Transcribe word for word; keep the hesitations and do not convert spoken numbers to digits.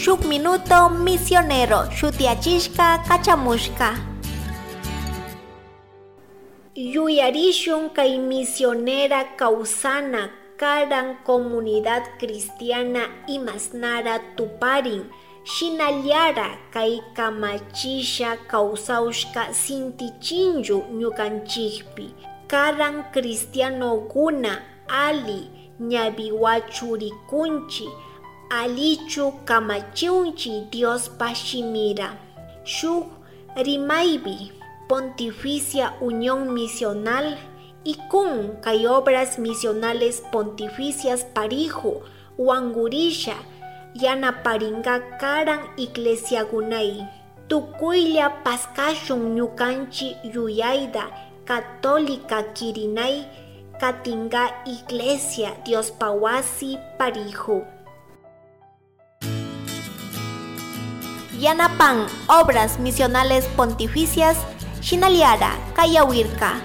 Shuk minuto misionero shutiachishka kachamushka. Yuyarishun kay misionera kawsana karan comunidad cristiana imasnara tuparin, shinallara kay kamachisha kawsaushka sintichinllu ñukanchikpi. Karan cristianokuna ali ñawiwa churikunchi, alichu kamachiunchi Diospa shimira. Shuk rimaypi, Pontificia Unión Misional, ICUM, kay Obras Misionales Pontificias parihu wangurisha yanaparinga karan iglesiakunay. Tukuylla paskashun ñukanchi yuyayta católica kirinay katinga iglesia Diospa wasi parihu. Yanapan Obras Misionales Pontificias, shinallara kayawirka.